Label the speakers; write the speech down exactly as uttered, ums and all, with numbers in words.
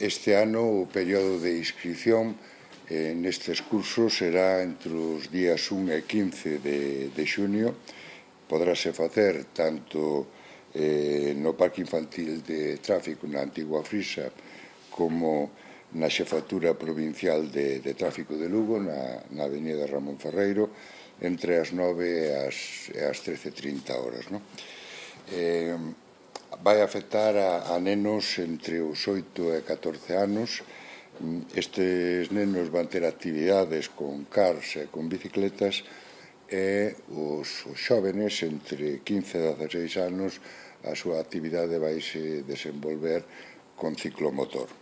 Speaker 1: Este ano o período de inscrición eh, nestes cursos será entre os días un e quince de, de xunio. Podráse facer tanto eh, no Parque Infantil de Tráfico na Antigua Frisa como na Xefatura Provincial de, de Tráfico de Lugo, na, na avenida Ramón Ferreiro, entre as nove e as, e as trece e trinta horas. No? Eh, vai afectar a, a nenos entre os oito e catorce anos. Estes nenos van ter actividades con cars e con bicicletas, e os, os xóvenes entre quince e dezaseis anos a súa actividade vai se desenvolver con ciclomotor.